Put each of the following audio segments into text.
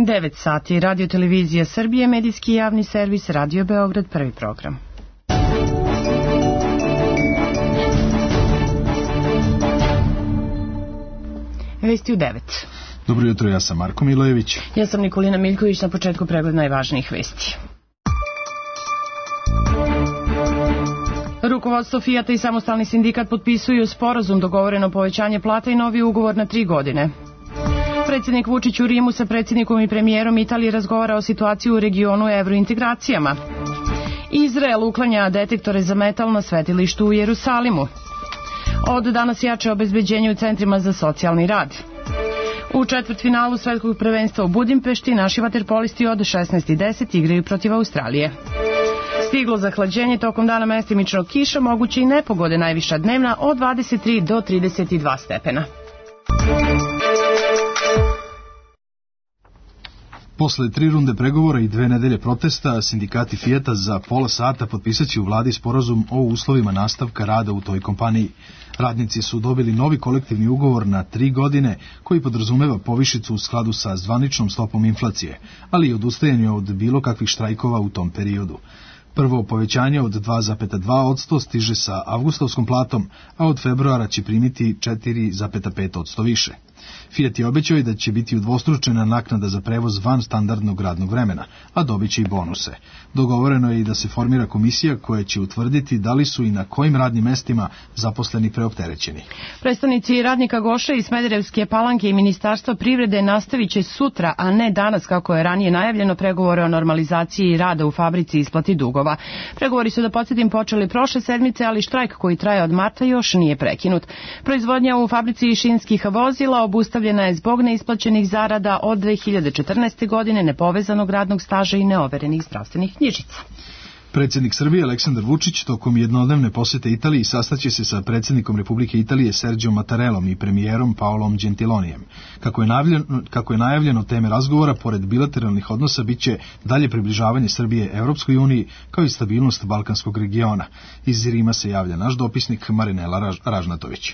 9 sati, Radio Televizija Srbije, medijski javni servis, Radio Beograd, prvi program. Vesti u 9. Dobro jutro, ja sam Marko Milojević. Ja sam Nikolina Miljković, na početku pregled najvažnijih vesti. Rukovodstvo Fijata i samostalni sindikat potpisuju sporazum, dogovoreno povećanje plata i novi ugovor na 3 godine. Predsjednik Vučić u Rimu sa predsjednikom i premijerom Italije razgovara o situaciji u regionu i evrointegracijama. Izrael uklanja detektore za metal na svetilištu u Jerusalimu. Od danas jače obezbeđenje u centrima za socijalni rad. U četvrtfinalu svetskog prvenstva u Budimpešti naši vaterpolisti od 16:10 igraju protiv Australije. Stiglo zahlađenje, tokom dana mestimično kiša, moguće i nepogode, najviša dnevna od 23 do 32 stepena. Posle 3 runde pregovora i 2 nedelje protesta, sindikati Fijata za pola sata potpisaće u vladi sporazum o uslovima nastavka rada u toj kompaniji. Radnici su dobili novi kolektivni ugovor na 3 godine koji podrazumeva povišicu u skladu sa zvaničnom stopom inflacije, ali i odustajanje od bilo kakvih štrajkova u tom periodu. Prvo povećanje od 2,2% stiže sa avgustovskom platom, a od februara će primiti 4,5% više. Fijat je obećao i da će biti udvostručena naknada za prevoz van standardnog radnog vremena, a dobit će i bonuse. Dogovoreno je i da se formira komisija koja će utvrditi da li su i na kojim radnim mestima zaposleni preopterećeni. Predstavnici radnika Goše iz Smederevske Palanke i Ministarstva privrede nastavit će sutra, a ne danas kako je ranije najavljeno, pregovore o normalizaciji rada u fabrici i isplati dugova. Pregovori su, da podsjetim, počeli prošle sedmice, ali štrajk koji traje od marta još nije prekinut. Proizvodnja u fabrici šinskih vozila obustavljena je zbog neisplaćenih zarada od 2014. godine, nepovezanog radnog staža i neoverenih zdravstvenih knjižica. Predsjednik Srbije Aleksandar Vučić tokom jednodnevne posete Italiji sastaće se sa predsjednikom Republike Italije Serđom Mattarellom i premijerom Paolom Gentilonijem. Kako je najavljeno, teme razgovora, pored bilateralnih odnosa, biće dalje približavanje Srbije Evropskoj uniji, kao i stabilnost balkanskog regiona. Iz Rima se javlja naš dopisnik Marinela Ražnatović.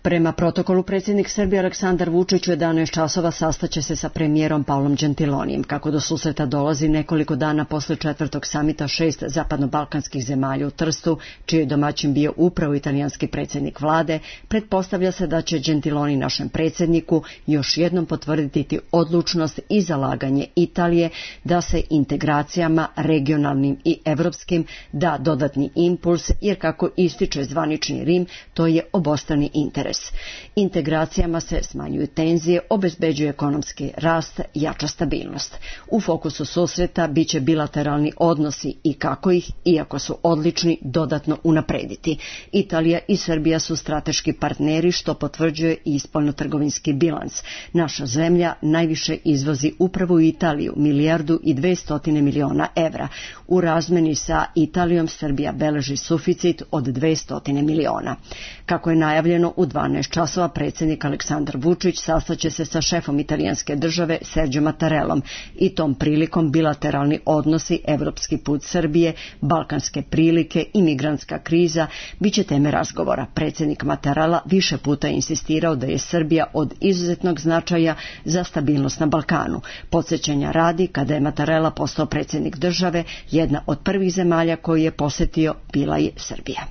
Prema protokolu, predsjednik Srbije Aleksandar Vučić u 11 časova sastaće se sa premijerom Paolom Gentilonijem. Kako do susreta dolazi nekoliko dana posle 4. samita 6 zapadno-balkanskih zemalja u Trstu, čiji je domaćin bio upravo italijanski predsjednik vlade, pretpostavlja se da će Gentiloni našem predsjedniku još jednom potvrditi odlučnost i zalaganje Italije da se integracijama regionalnim i evropskim da dodatni impuls, jer kako ističe zvanični Rim, to je obostrani interes. Integracijama se smanjuju tenzije, obezbeđuje ekonomski rast, jača stabilnost. U fokusu susreta biće bilateralni odnosi i kako ih, iako su odlični, dodatno unaprediti. Italija i Srbija su strateški partneri, što potvrđuje i spoljnotrgovinski bilans. Naša zemlja najviše izvozi upravo u Italiju, 1,2 milijarde evra. U razmeni sa Italijom Srbija beleži suficit od 200 miliona. Kako je najavljeno, u 12 časova predsjednik Aleksandar Vučić sastaće se sa šefom italijanske države Serđom Mattarellom i tom prilikom bilateralni odnosi, evropski put Srbije, balkanske prilike i migrantska kriza biće teme razgovora. Predsjednik Mattarella više puta insistirao da je Srbija od izuzetnog značaja za stabilnost na Balkanu. Podsjećanja radi, kada je Mattarella postao predsjednik države, jedna od prvih zemalja koju je posjetio bila je Srbija.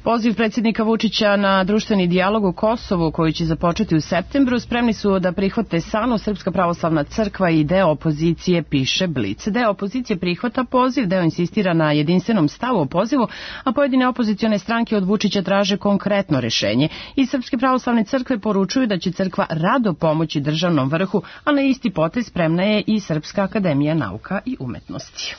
Poziv predsjednika Vučića na društveni dijalog u Kosovu, koji će započeti u septembru, spremni su da prihvate SANU, Srpska pravoslavna crkva i deo opozicije, piše Blic. Deo opozicije prihvata poziv, deo insistira na jedinstvenom stavu o pozivu, a pojedine opozicione stranke od Vučića traže konkretno rešenje. Iz Srpske pravoslavne crkve poručuju da će crkva rado pomoći državnom vrhu, a na isti potez spremna je i Srpska akademija nauka i umetnosti.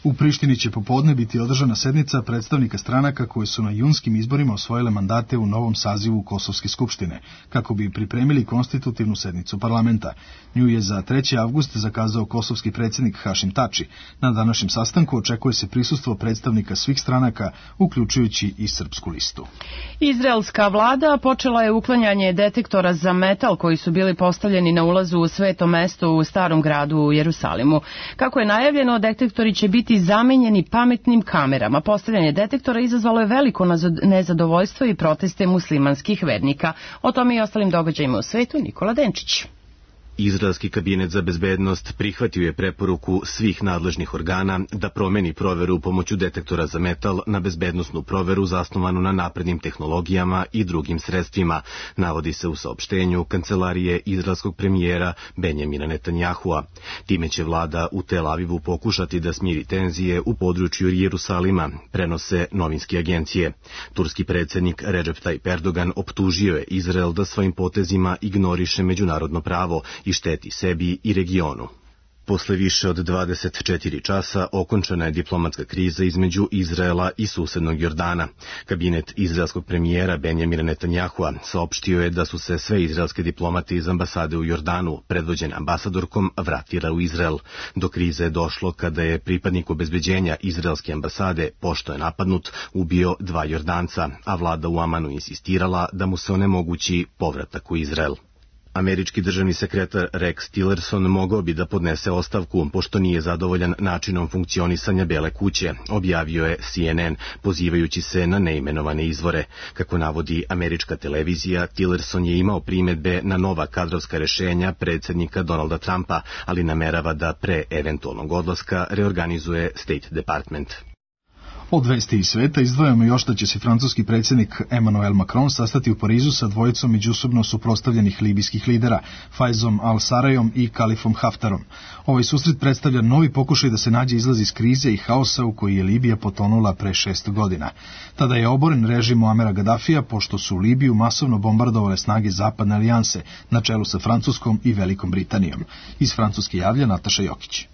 U Prištini će popodne biti održana sednica predstavnika stranaka koje su na junskim izborima osvojile mandate u novom sazivu Kosovske skupštine, kako bi pripremili konstitutivnu sednicu parlamenta. Nju je za 3. avgust zakazao kosovski predsjednik Hašim Tači. Na današnjem sastanku očekuje se prisustvo predstavnika svih stranaka, uključujući i Srpsku listu. Izraelska vlada počela je uklanjanje detektora za metal koji su bili postavljeni na ulazu u Sveto mesto u Starom gradu u Jerusalimu. Kako je najavljeno, detektori će biti zamenjeni pametnim kamerama. Postavljanje detektora izazvalo je veliko nezadovoljstvo i proteste muslimanskih vernika. O tome i ostalim događajima u svetu Nikola Denčić. Izraelski kabinet za bezbednost prihvatio je preporuku svih nadležnih organa da promeni proveru pomoću detektora za metal na bezbednosnu proveru zasnovanu na naprednim tehnologijama i drugim sredstvima, navodi se u saopštenju kancelarije izraelskog premijera Benjamina Netanjahua. Time će vlada u Tel Avivu pokušati da smiri tenzije u području Jerusalima, prenose novinske agencije. Turski predsjednik Recep Tayyip Erdogan optužio je Izrael da svojim potezima ignoriše međunarodno pravo i šteti sebi i regionu. Posle više od 24 časa okončana je diplomatska kriza između Izraela i susednog Jordana. Kabinet izraelskog premijera Benjamina Netanjahua saopštio je da su se sve izraelske diplomate iz ambasade u Jordanu, predvođene ambasadorkom, vratile u Izrael. Do krize je došlo kada je pripadnik obezbeđenja izraelske ambasade, pošto je napadnut, ubio 2 Jordanca, a vlada u Amanu insistirala da mu se onemogući povratak u Izrael. Američki državni sekretar Rex Tillerson mogao bi da podnese ostavku, pošto nije zadovoljan načinom funkcionisanja Bele kuće, objavio je CNN, pozivajući se na neimenovane izvore. Kako navodi američka televizija, Tillerson je imao primedbe na nova kadrovska rešenja predsjednika Donalda Trumpa, ali namerava da pre eventualnog odlaska reorganizuje State Department. Od vesti iz sveta izdvajamo još da će se francuski predsjednik Emmanuel Macron sastati u Parizu sa dvojicom međusobno suprotstavljenih libijskih lidera, Faizom al-Sarajom i Kalifom Haftarom. Ovaj susret predstavlja novi pokušaj da se nađe izlaz iz krize i haosa u koji je Libija potonula pre 6 godina. Tada je oboren režim Muamera Gaddafija, pošto su Libiju masovno bombardovale snage Zapadne alijanse, na čelu sa Francuskom i Velikom Britanijom. Iz Francuske javlja Nataša Jokić.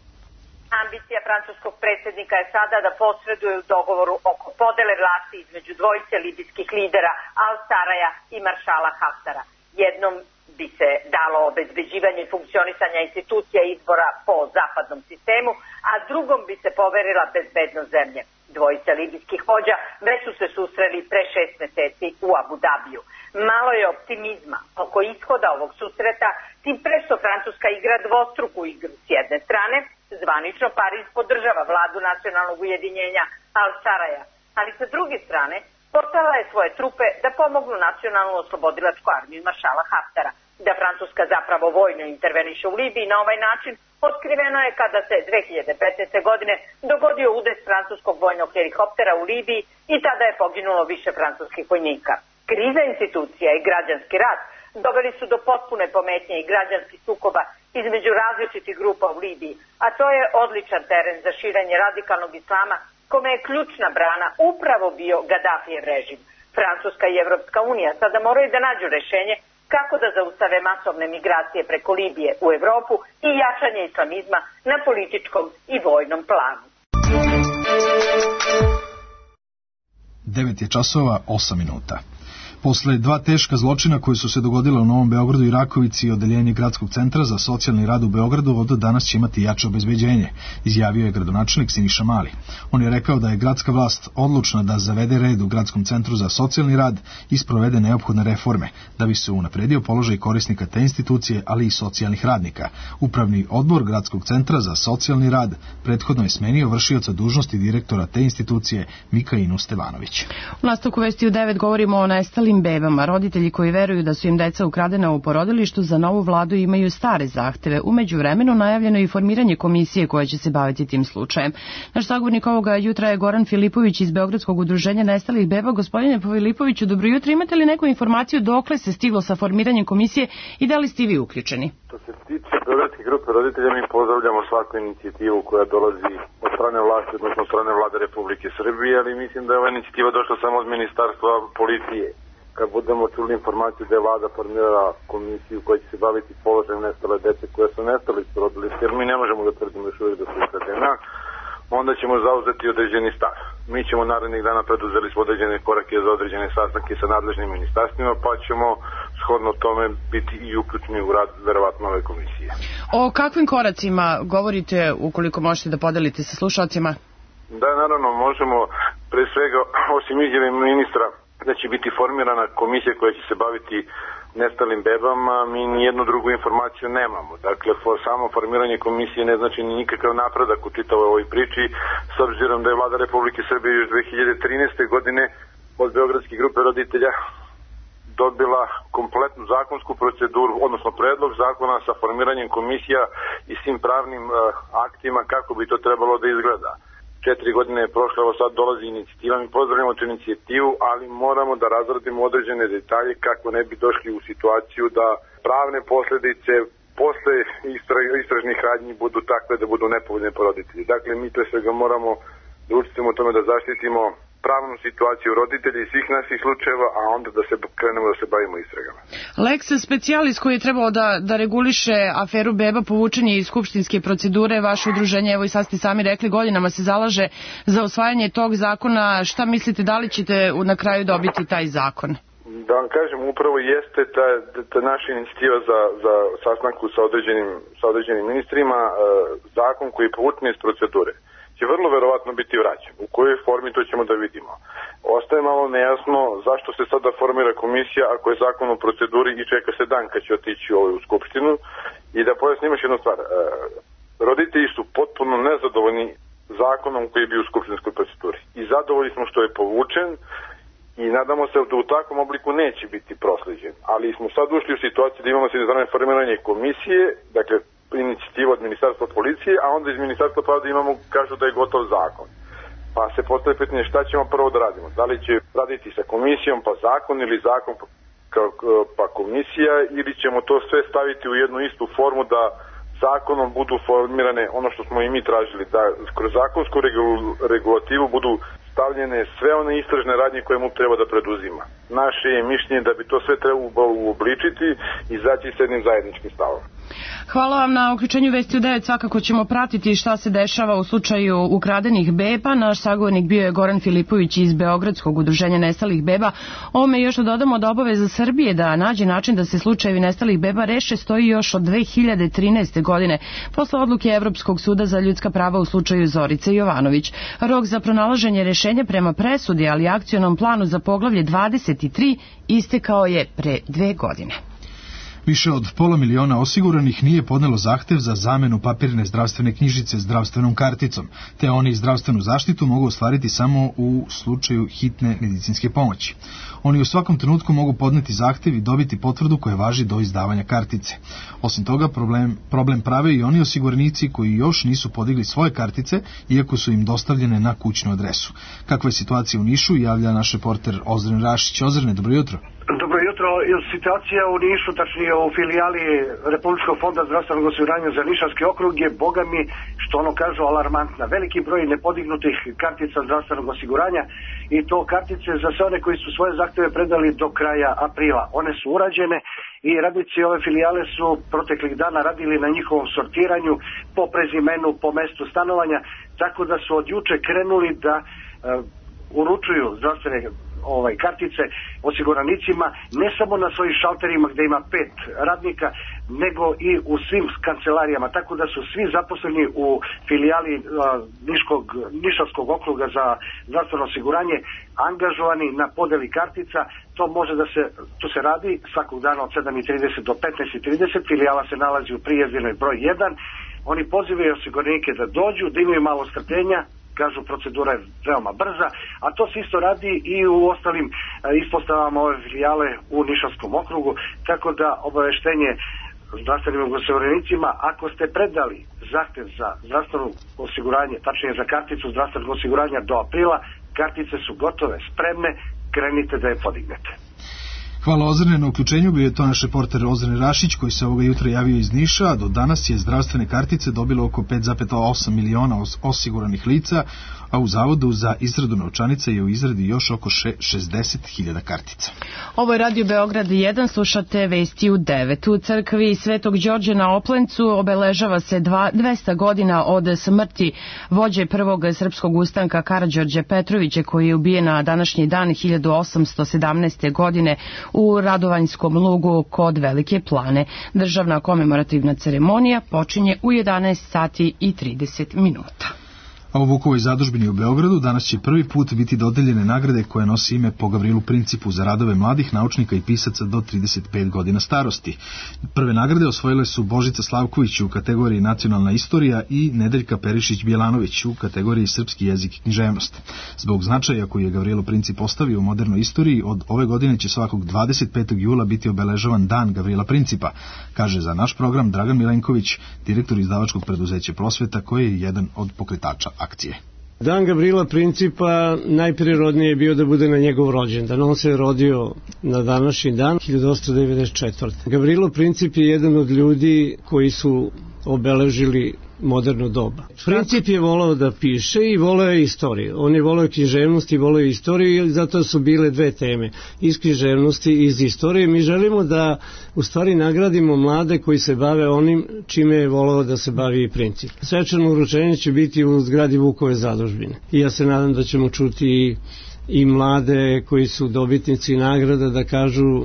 Ambicija francuskog predsjednika je sada da posreduje u dogovoru oko podele vlasti između dvojice libijskih lidera Al-Saraja i maršala Haftara. Jednom bi se dalo obezbeđivanje funkcionisanja institucija izbora po zapadnom sistemu, a drugom bi se poverila bezbednost zemlje. Dvojica libijskih vođa već su se susreli pre 6 meseci u Abu Dabiju. Malo je optimizma oko ishoda ovog susreta, tim pre što Francuska igra dvostruku igru. S jedne strane, zvanično Pariz podržava vladu nacionalnog ujedinjenja Al-Saraja, ali sa druge strane poslala je svoje trupe da pomognu nacionalnu oslobodilačku armiju maršala Haftara. Da Francuska zapravo vojno interveniše u Libiji na ovaj način otkriveno je kada se 2015. godine dogodio udes francuskog vojnog helikoptera u Libiji i tada je poginulo više francuskih vojnika. Kriza institucija i građanski rat doveli su do potpune pometnje i građanskih sukoba između različitih grupa u Libiji, a to je odličan teren za širenje radikalnog islama, kome je ključna brana upravo bio Gaddafijev režim. Francuska i Evropska unija sada moraju da nađu rešenje kako da zaustave masovne migracije preko Libije u Evropu i jačanje islamizma na političkom i vojnom planu. 9 je časova, 8 minuta. Posle 2 teška zločina koji su se dogodila u Novom Beogradu i Rakovici i odeljenje Gradskog centra za socijalni rad u Beogradu od danas će imati jače obezbeđenje, izjavio je gradonačelnik Siniša Mali. On je rekao da je gradska vlast odlučna da zavede red u Gradskom centru za socijalni rad i sprovede neophodne reforme, da bi se unapredio položaj korisnika te institucije, ali i socijalnih radnika. Upravni odbor Gradskog centra za socijalni rad prethodno je smenio vršioca dužnosti direktora te institucije Mikainu Stevanović. U nastavku vesti u 9 govorimo o nestalim bebama. Roditelji koji veruju da su im deca ukradena u porodilištu za novu vladu imaju stare zahteve. U međuvremenu najavljeno je i formiranje komisije koja će se baviti tim slučajem. Naš sagovornik ovoga jutra je Goran Filipović iz Beogradskog udruženja nestalih beba. Gospodine Filipoviću, dobro jutro. Imate li neku informaciju dokle se stiglo sa formiranjem komisije i da li ste vi uključeni? Što se tiče Beogradske grupe roditelja, mi pozdravljamo svaku inicijativu koja dolazi od strane vlasti, odnosno od strane vlade Republike Srbije, ali mislim da je ova inicijativa došla samo od Ministarstva policije. Kad budemo čuli informaciju da je vlada formirala komisiju koja će se baviti položajem nestale dece koje su nestale iz porodilišta, jer mi ne možemo da tvrdimo još uvijek da su ukradena, onda ćemo zauzeti određeni stav. Mi ćemo narednih dana preduzeli smo određene korake za određene sastanke sa nadležnim ministarstvima, pa ćemo shodno tome biti i uključeni u rad verovatno ove komisije. O kakvim koracima govorite, ukoliko možete da podelite sa slušalcima? Da, naravno, možemo pre svega, osim izjave ministra da će biti formirana komisija koja će se baviti nestalim bebama, mi nijednu drugu informaciju nemamo. Dakle, samo formiranje komisije ne znači ni nikakav napredak u čitavoj ovoj priči, s obzirom da je vlada Republike Srbije još 2013. godine od Beogradske grupe roditelja dobila kompletnu zakonsku proceduru, odnosno predlog zakona sa formiranjem komisija i svim pravnim aktima kako bi to trebalo da izgleda. 4 godine je prošlo, evo sad dolazi inicijativa, mi pozdravljamo tu inicijativu, ali moramo da razradimo određene detalje kako ne bi došli u situaciju da pravne posledice posle istražnih radnji budu takve da budu nepovoljne po roditelji. Dakle, mi pre svega moramo da učinimo tome da zaštitimo pravnu situaciju roditelja i svih naših slučajeva, a onda da se krenemo da se bavimo istragama. Lex specialis koji je trebao da reguliše aferu beba povučen je iz skupštinske procedure. Vaše udruženje, evo i sad ste sami rekli, godinama se zalaže za usvajanje tog zakona. Šta mislite, da li ćete na kraju dobiti taj zakon? Da vam kažem, upravo jeste ta naša inicijativa za sastanku sa određenim ministrima, zakon koji je povučen iz procedure će vrlo verovatno biti vraćen. U kojoj formi to ćemo da vidimo. Ostaje malo nejasno zašto se sada formira komisija ako je zakon u proceduri i čeka se dan kad će otići u Skupštinu. I da pojasnim još jednu stvar. Roditelji su potpuno nezadovoljni zakonom koji je bio u skupštinskoj proceduri. I zadovoljni smo što je povučen i nadamo se da u takvom obliku neće biti prosleđen. Ali smo sad ušli u situaciju da imamo s formiranje komisije, dakle inicijativu od Ministarstva policije, a onda iz Ministarstva pravde kažu da je gotov zakon. Pa se postavlja pitanje šta ćemo prvo da radimo. Da li će raditi sa komisijom pa zakon ili zakon pa komisija, ili ćemo to sve staviti u jednu istu formu da zakonom budu formirane ono što smo i mi tražili, da kroz zakonsku regulativu budu stavljene sve one istražne radnje koje MUP treba da preduzima. Naše je mišljenje da bi to sve trebalo uobličiti i izaći s jednim zajedničkim stavom. Hvala vam na uključenju Vesti u 9. Svakako ćemo pratiti šta se dešava u slučaju ukradenih beba. Naš sagovornik bio je Goran Filipović iz Beogradskog udruženja nestalih beba. Ovome još dodamo da obaveza Srbije da nađe način da se slučajevi nestalih beba reše stoji još od 2013. godine posle odluke Evropskog suda za ljudska prava u slučaju Zorice Jovanović. Rok za pronalaženje rešenja prema presudi, ali akcionom planu za poglavlje 23 istekao je pre 2 godine. Više od 500.000 osiguranih nije podnelo zahtev za zamenu papirne zdravstvene knjižice zdravstvenom karticom, te oni zdravstvenu zaštitu mogu ostvariti samo u slučaju hitne medicinske pomoći. Oni u svakom trenutku mogu podneti zahtev i dobiti potvrdu koja važi do izdavanja kartice. Osim toga, problem prave i oni osiguranici koji još nisu podigli svoje kartice, iako su im dostavljene na kućnu adresu. Kakva je situacija u Nišu, javlja naš reporter Ozren Rašić. Ozrene, dobro jutro. Dobro jutro. Situacija u Nišu, tačnije u filijali Republičkog fonda zdravstvenog osiguranja za Nišavski okrug je, boga mi, što ono kažu, alarmantna. Veliki broj nepodignutih kartica zdravstvenog osiguranja i to kartice za sve one koji su svoje zahteve predali do kraja aprila. One su urađene i radnici ove filijale su proteklih dana radili na njihovom sortiranju po prezimenu, po mestu stanovanja, tako da su od juče krenuli da uručuju zdravstvene kartice osiguranicima ne samo na svojim šalterima gde ima 5 radnika, nego i u svim kancelarijama, tako da su svi zaposleni u filijali Nišavskog okruga za zdravstveno osiguranje angažovani na podeli kartica. To se radi svakog dana od 7:30 do 15:30. Filijala se nalazi u Prijezdirnoj broj 1. Oni pozivaju osiguranike da dođu, da imaju malo strpljenja, kažu procedura je veoma brza, a to se isto radi i u ostalim ispostavama ove filijale u Nišavskom okrugu, tako da obaveštenje zdravstvenim osiguranicima, ako ste predali zahtev za zdravstveno osiguranje, tačnije za karticu zdravstvenog osiguranja do aprila, kartice su gotove, spremne, krenite da je podignete. Hvala Ozrene na uključenju, bio je to naš reporter Ozren Rašić koji se ovoga jutra javio iz Niša, a do danas je zdravstvene kartice dobilo oko 5,8 miliona osiguranih lica, a u Zavodu za izradu novčanica je u izradi još oko 60.000 kartica. Ovo je Radio Beograd 1, slušate Vesti u 9. U crkvi Svetog Đorđa na Oplencu obeležava se 200 godina od smrti vođe prvog srpskog ustanka Karađorđa Petrovića, koji je ubijen na današnji dan 1817. godine u Radovanjskom lugu kod Velike Plane. Državna komemorativna ceremonija počinje u 11 sati i 30 minuta. A u Vukovoj zadužbini u Beogradu danas će prvi put biti dodeljene nagrade koje nosi ime po Gavrilu Principu za radove mladih naučnika i pisaca do 35 godina starosti. Prve nagrade osvojile su Božica Slavković u kategoriji Nacionalna istorija i Nedeljka Perišić-Bjelanović u kategoriji Srpski jezik i književnost. Zbog značaja koji je Gavrilo Princip ostavio u modernoj istoriji, od ove godine će svakog 25. jula biti obeležavan Dan Gavrila Principa, kaže za naš program Dragan Milenković, direktor izdavačkog preduzeća Prosveta, koji je jedan od pokretača akcije. Dan Gavrila Principa najprirodnije je bio da bude na njegov rođendan. On se je rodio na današnji dan, 1894. Gavrilo Princip je jedan od ljudi koji su obeležili moderno doba. Princip je volao da piše i volao je istoriju. On je volao književnost i volao je istoriju i zato su bile dve teme, iz književnosti i iz istorije. Mi želimo da u stvari nagradimo mlade koji se bave onim čime je volao da se bavi i Princip. Svečano uručenje će biti u zgradi Vukove zadužbine. I ja se nadam da ćemo čuti i mlade koji su dobitnici nagrada da kažu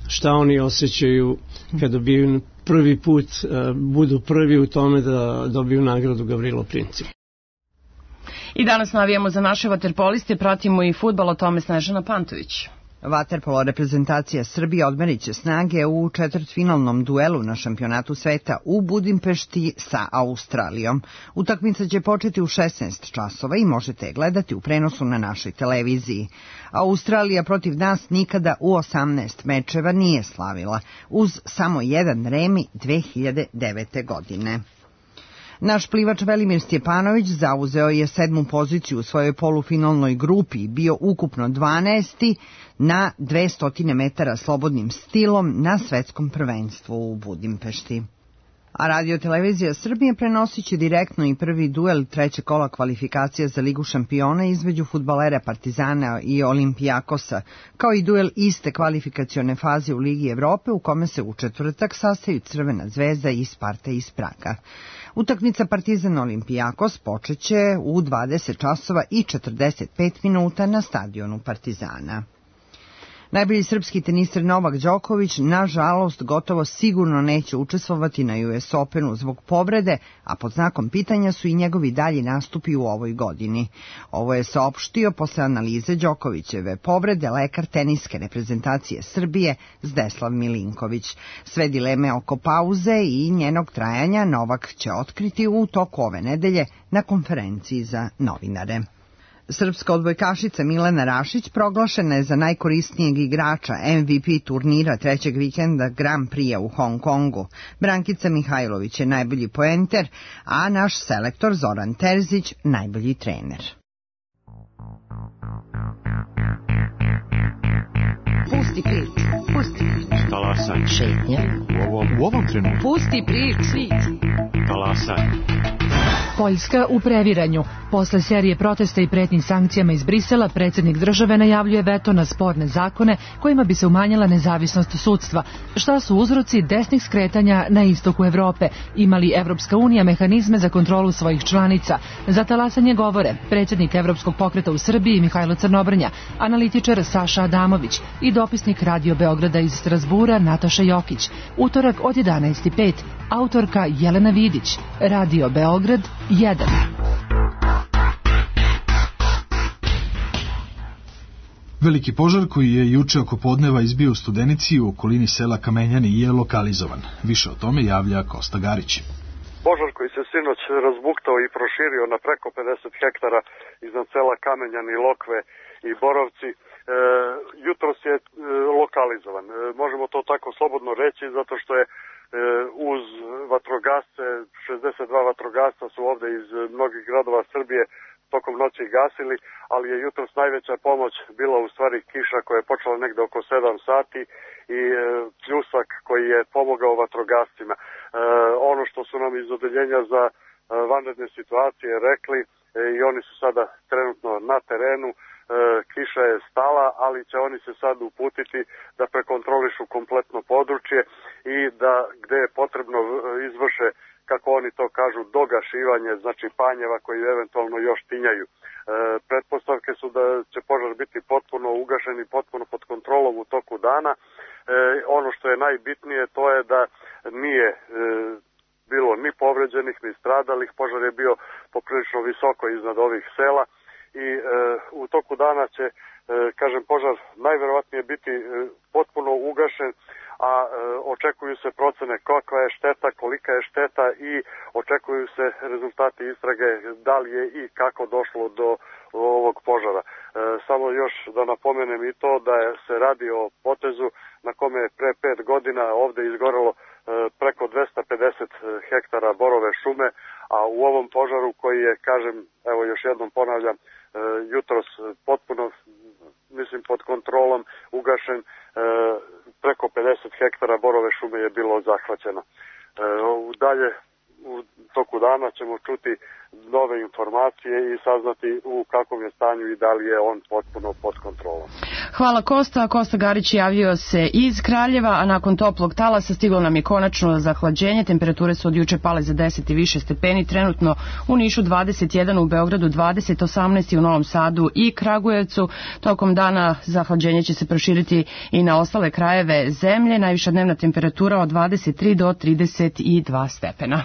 šta oni osjećaju kada dobiju prvi put, budu prvi u tome da dobiju nagradu Gavrilo Princip. I danas navijamo za naše vaterpoliste, pratimo i fudbal, o tome Snežana Pantović. Vaterpolo reprezentacija Srbije odmerit će snage u četvrtfinalnom duelu na šampionatu sveta u Budimpešti sa Australijom. Utakmica će početi u 16 časova i možete je gledati u prenosu na našoj televiziji. Australija protiv nas nikada u 18 mečeva nije slavila, uz samo jedan remi 2009. godine. Naš plivač Velimir Stjepanović zauzeo je 7. poziciju u svojoj polufinalnoj grupi i bio ukupno 12. na 200 metara slobodnim stilom na svetskom prvenstvu u Budimpešti. A Radio-televizija Srbije prenosit će direktno i prvi duel trećeg kola kvalifikacija za Ligu šampiona između fudbalera Partizana i Olimpijakosa, kao i duel iste kvalifikacione faze u Ligi Evrope u kome se u četvrtak sastaju Crvena zvezda i Sparta iz Praga. Utakmica Partizan-Olimpijakos počeće u 20 časova i 45 minuta na stadionu Partizana. Najbolji srpski teniser Novak Đoković, nažalost, gotovo sigurno neće učestvovati na US Openu zbog povrede, a pod znakom pitanja su i njegovi dalji nastupi u ovoj godini. Ovo je saopštio posle analize Đokovićeve povrede lekar teniske reprezentacije Srbije Zdeslav Milinković. Sve dileme oko pauze i njenog trajanja Novak će otkriti u toku ove nedelje na konferenciji za novinare. Srpska odbojkašica Milena Rašić proglašena je za najkorisnijeg igrača MVP turnira trećeg vikenda Grand Prix u Hong Kongu. Brankica Mihajlović je najbolji poenter, a naš selektor Zoran Terzić najbolji trener. Pusti priču, pusti priču. Talasaj. Šetnja. U ovom trenutku. Pusti priču. Talasaj. Poljska u previranju. Posle serije protesta i pretnji sankcijama iz Brisela, predsjednik države najavljuje veto na sporne zakone kojima bi se umanjila nezavisnost sudstva. Šta su uzroci desnih skretanja na istoku Evrope? Ima li Evropska unija mehanizme za kontrolu svojih članica? Za talasanje govore predsjednik Evropskog pokreta u Srbiji Mihajlo Crnobrnja, analitičar Saša Adamović i dopisnik Radio Beograda iz Strasbura Nataša Jokić. Utorak od 11:05, autorka Jelena Vidić, Radio Beograd 1. Veliki požar koji je juče oko podneva izbio u Studenici u okolini sela Kamenjani je lokalizovan. Više o tome javlja Kosta Garić. Požar koji se sinoć razbuktao i proširio na preko 50 hektara iznad sela Kamenjani, Lokve i Borovci, jutros je lokalizovan. Možemo to tako slobodno reći zato što je uz vatrogasce, 62 vatrogasca su ovde iz mnogih gradova Srbije tokom noći gasili, ali je jutros najveća pomoć bila u stvari kiša koja je počela negde oko 7 sati i pljusak koji je pomogao vatrogascima. Ono što su nam iz odeljenja za vanredne situacije rekli i oni su sada trenutno na terenu, kiša je stala, ali će oni se sad uputiti da prekontrolišu kompletno područje i da gde je potrebno izvrše, kako oni to kažu, dogašivanje, znači panjeva koji eventualno još tinjaju. Pretpostavke su da će požar biti potpuno ugašen i potpuno pod kontrolom u toku dana. Ono što je najbitnije to je da nije bilo ni povređenih, ni stradalih. Požar je bio poprilično visoko iznad ovih sela i u toku dana će, kažem, požar najverovatnije biti potpuno ugašen, a očekuju se procene kakva je šteta, kolika je šteta i očekuju se rezultati istrage da li je i kako došlo do ovog požara. Samo još da napomenem i to da se radi o potezu na kome je pre 5 godina ovde izgorelo preko 250 hektara borove šume, a u ovom požaru koji je, kažem, evo još jednom ponavljam, jutros potpuno, mislim, pod kontrolom ugašen, preko 50 hektara borove šume je bilo zahvaćeno. Dalje u toku dana ćemo čuti nove informacije i saznati u kakvom je stanju i da li je on potpuno pod kontrolom. Hvala Kosta. Kosta Garić javio se iz Kraljeva, a nakon toplog talasa stiglo nam je konačno zahlađenje. Temperature su od juče pale za 10 i više stepeni. Trenutno u Nišu 21, u Beogradu 20, 18 u Novom Sadu i Kragujevcu. Tokom dana zahlađenje će se proširiti i na ostale krajeve zemlje. Najviša dnevna temperatura od 23 do 32 stepena.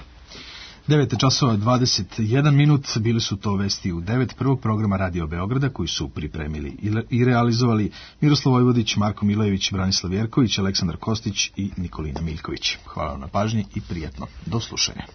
9 časova 21 minut, bili su to vesti u 9 prvog programa Radio Beograda koji su pripremili i realizovali Miroslav Vojvodić, Marko Milojević, Branislav Jerković, Aleksandar Kostić i Nikolina Miljković. Hvala vam na pažnji i prijatno. Do slušanja.